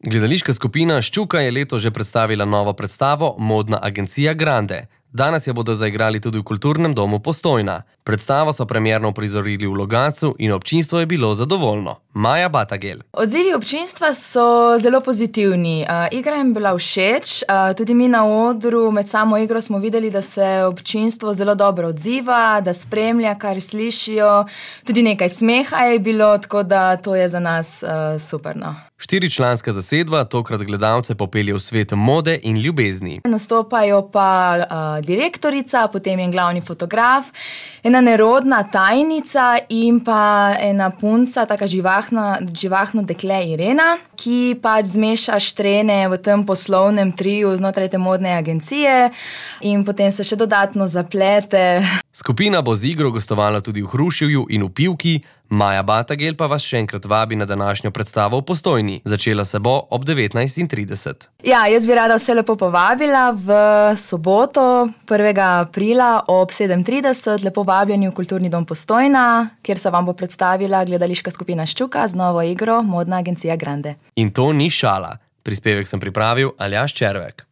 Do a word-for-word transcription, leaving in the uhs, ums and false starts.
Gledališka skupina Ščuka je letos že predstavila novo predstavo Modna agencija Grande. Danes jo bodo zaigrali tudi v Kulturnem domu Postojna. Predstavo so premierno prizorili v Logatcu in občinstvo je bilo zadovoljno. Maja Batagel. Odzivi občinstva so zelo pozitivni. Uh, igra jim bila všeč, uh, tudi mi na odru med samo igro smo videli, da se občinstvo zelo dobro odziva, da spremlja, kar slišijo. Tudi nekaj smeha je bilo, tako da to je za nas uh, super. No. Štiričlanska zasedba tokrat gledalce popelje v svet mode in ljubezni. Nastopajo pa uh, direktorica, potem je glavni fotograf, ena nerodna tajnica in pa ena punca, taka živahna, živahno dekle Irena, ki pač zmeša štrene v tem poslovnem triju znotraj te modne agencije in potem se še dodatno zaplete. Skupina bo z igro gostovala tudi v Hruševju in v Pivki, Maja Batagel pa vas še enkrat vabi na današnjo predstavo v Postojni. Začela se bo ob devetnajst trideset. Ja, jaz bi rada vse lepo povabila v soboto, prvega aprila ob sedem trideset, lepo vabljeni v Kulturni dom Postojna, kjer se vam bo predstavila gledališka skupina Ščuka z novo igro Modna agencija Grande. In to ni šala. Prispevek sem pripravil Aljaž Červek.